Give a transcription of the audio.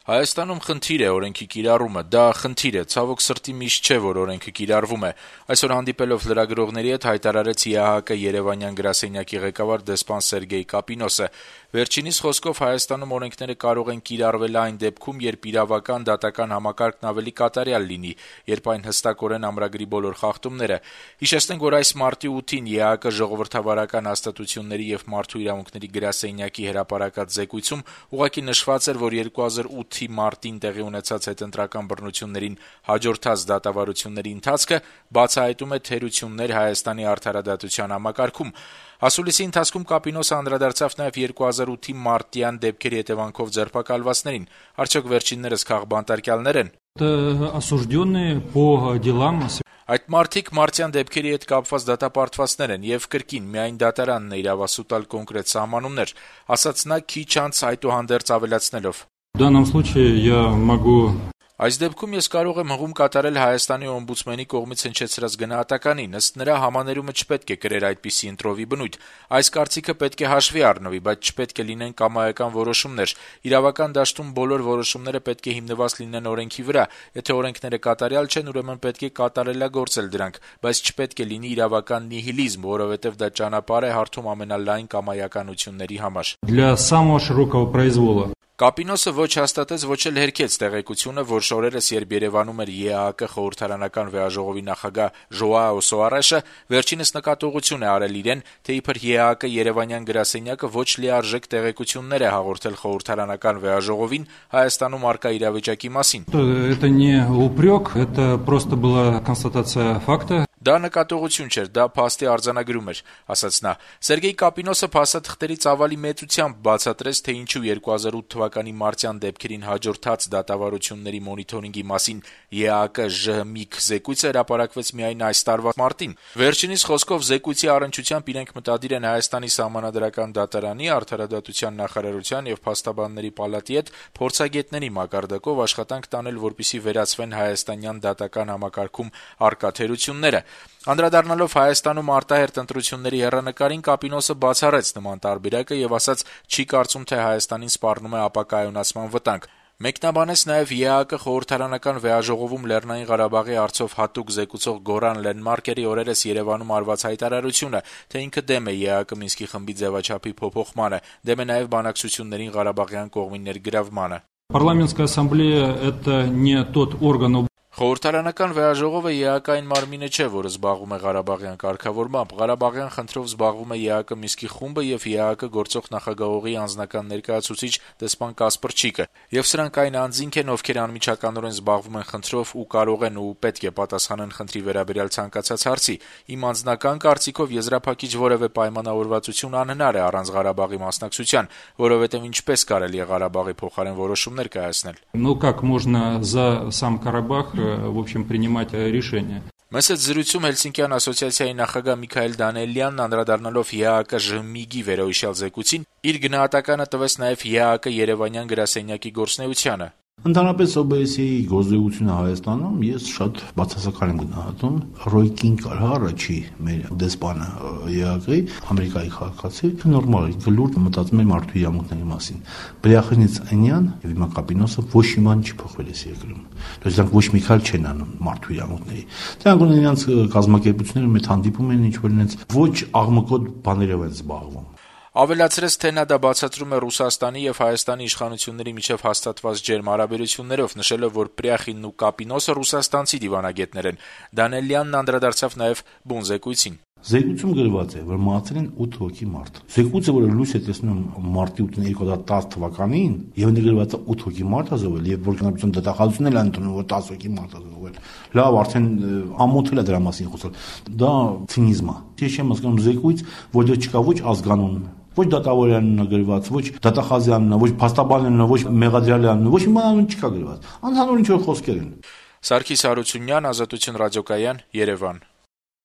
Հայաստանում խնդիր է օրենքի կիրառումը, դա խնդիր է, ցավոք սրտի միշտ չէ, որ օրենքը կիրառվում է։ Այսօր հանդիպելով լրագրողների հետ հայտարարեց ԵԱՀԿ Երևանյան գրասենյակի ղեկավար դեսպան Սերգեյ Կապինոսը։ Վերջինիս խոսքով Հայաստանում օրենքները կարող են կիրառվել այն դեպքում, երբ իրավական դատական համակարգն ավելի կատարյալ լինի, երբ այն հստակորեն ամրագրի բոլոր խախտումները։ Հիշեցնենք, որ այս մարտի 8-ին ԵԱՀԿ ժողովրդավարական հաստատությունների եւ մարդու իրավունքների գրասենյակի հրապարակած զեկույցում ուղղակի նշված էր, որ 2008 մարտին տեղի ունեցած հետընտրական բռնություններին հաջորդած դատավարությունների ընթացքը բացահայտում է թերություններ Հայաստանի արդարադատության համակարգում։ Ասուլիսի ընթացքում Կապինոսը անդրադարձավ նաև 2008 մարտյան դեպքերի հետևանքով ձերբակալվածներին։ Արդյոք վերջիններս քաղբանտարկյալներ են։ Այդ մարդիկ մարտյան դեպքերի հետ կապված դատապարտվածներ են եւ կրկին միայն դատարանն է իրավասու տալ կոնկրետ սահմանումներ, ասաց նա քիչ անց այդուհանդերձ ավելացնելով. Այս դեպքում ես կարող եմ հղում կատարել Հայաստանի օմբուդսմենի կողմից հնչեցրած գնահատականին, ըստ նրա համաներումը չպետք է կրեր այդպիսի ընտրովի բնույթ։ Այս կարծիքը պետք է հաշվի առնվի, բայց չպետք է լինեն կամայական որոշումներ։ Իրավական դաշտում բոլոր որոշումները պետք է հիմնված լինեն օրենքի վրա։ Եթե օրենքները կատարյալ չեն, ուրեմն պետք է կատարելագործել դրանք, բայց չպետք է լինի իրավական նիհիլիզմ, որովհետև դա ճանապարհ է հարթում ամենալայն կամայականությունների համար։ Կապինոսը ոչ հաստատեց, ոչ էլ հերքեց տեղեկությունը, որ շորերս երբ Երևանում էր ԵԱՀԿ խորհրդարանական վեաժողովի նախագահ Ժոաո Սոարեշը, վերջինս նկատողություն է արել իրեն, թե իբր ԵԱՀԿ Երևանյան գրասենյակը ոչ լիարժեք տեղեկություններ է հաղորդել խորհրդարանական վեաժողովին Հայաստանում առկա իրավիճակի մասին։ Դա նկատողություն չէր, դա փաստի արձանագրում էր, ասաց նա։ Սերգեյ Կապինոսը փաստաթղթերի ծավալի մեծությամբ բացատրեց, թե ինչու 2008 թվականի մարտյան դեպքերին հաջորդած դատավարությունների մոնիթորինգի մասին ԵԱՀԿ ԺՀՄԻԿ զեկույցը հրապարակվեց միայն այս տարվա մարտին։ Վերջինիս խոսքով զեկույցի առնչությամբ իրենք մտադիր են Հայաստանի սահմանադրական դատարանի, արդարադատության նախարարության եւ փաստաբանների պալատի հետ փորձագետների մակարդակով աշխատանք տանել, որպեսզի վերացվեն հայաստանյան դատական համակարգում առկա թերությունները։ Անդրադառնալով Հայաստանում արտահերթ ընտրությունների հեռանկարին, Կապինոսը բացառեց նման տարբերակը եւ ասաց, չի կարծում, թե Հայաստանին սպառնում է ապակայունացման վտանգ։ Մեկնաբանեց նաև ԵԱՀԿ խորհրդարանական վեաժողովում Լեռնային Ղարաբաղի հարցով հատուկ զեկուցող Գորան Լենմարկերի օրերս Երևանում արված հայտարարությունը, թե ինքը դեմ է ԵԱՀԿ Մինսկի խմբի ձևաչափի փոփոխմանը, դեմ է նաև բանակցություններին Ղարաբաղյան կողմի ներգրավմանը։ Խորհրդարանական վեաժողովը ԵԱՀԿ-ային մարմինը չէ, որը զբաղվում է Ղարաբաղյան կարգավորմամբ։ Ղարաբաղյան խնդրով զբաղվում է ԵԱՀԿ Մինսկի խումբը եւ ԵԱՀԿ գործող նախագահողի անձնական ներկայացուցիչ դեսպան Կասպրչիկը։ Եվ սրանք այն անձինք են, ովքեր անմիջականորեն զբաղվում են խնդրով ու կարող են ու պետք է պատասխանեն խնդրի վերաբերյալ ցանկացած հարցի։ Իմ անձնական կարծիքով եզրափակիչ որևէ պայմանավորվածություն անհնար է առանց Ղարաբաղի մասնակցության, որովհետեւ ինչպես կարելի է Ղարաբաղի փոխարեն որոշումներ կայացնել։ в общем, принимать решения. Մեծ զրույցում Հելսինկյան ասոցիացիայի նախագահ Միքայել Դանիելյանն անդրադառնալով ԵԱՀԿ ԺՄԻԳ-ի վերոհիշյալ զեկույցին, իր գնահատականը տվեց նաև ԵԱՀԿ Երևանյան գրասենյակի գործունեությանը։ Ընդհանրապես ՕԲՍ-ի գործունեությունը Հայաստանում ես շատ բացասական եմ գնահատում։ Ռոյ Կինգար, առաջի մեր դեսպանը ԵԱՀԿ-ի, Ամերիկայի քաղաքացի, նորմալ է, գլուր մտածում է մարդու իրավունքների մասին։ Բրյախնիցանյան եւ հիմա Կապինոսը ոչ իման չի փոխվել էս երկրում։ Դրանք դրանք ոչ մի քայլ չեն անում մարդու իրավունքների։ Դրանք ունեն իրենց կազմակերպությունները մեծ հանդիպում են, ինչ որ իրենց ոչ աղմկոտ բաներով են զբաղվում։ Ավելացրեց, թե նա դա բացատրում է Ռուսաստանի եւ Հայաստանի իշխանությունների միջև հաստատված ջերմ հարաբերություններով, նշելով, որ Պրյախինն ու Կապինոսը ռուսաստանցի դիվանագետներ են։ Դանիելյանն անդրադարձավ նաեւ բուն զեկույցին։ Զեկույցում գրված է, որ մահացել են 8 հոգի մարդ։ Զեկույցը, որը լույս է տեսնում մարտի 8-ին 2010 թվականին, եւ ընդգրկված է 8 հոգի մարդ ազովել, եւ որ կնարբություն դատախազությունն էլ ընդունում, որ 10 հոգի մարդ ազովել։ Լավ, արդեն ամոթել է դրա մասին խոսել։ Դա ցինիզմ է։ Ես չեմ հասկանում զեկույց, որտեղ չկա ոչ ազգանուն, ոչ դատավորյանն գրված, ոչ դատախազյանն, ոչ փաստաբանյանն, ոչ մեղադրյալյանն, ոչ մի բան չկա գրված։ Անհանուր ինչ որ խոսքեր են։ Սարգիս Հարությունյան, Ազատություն ռադիոկայան, Երևան։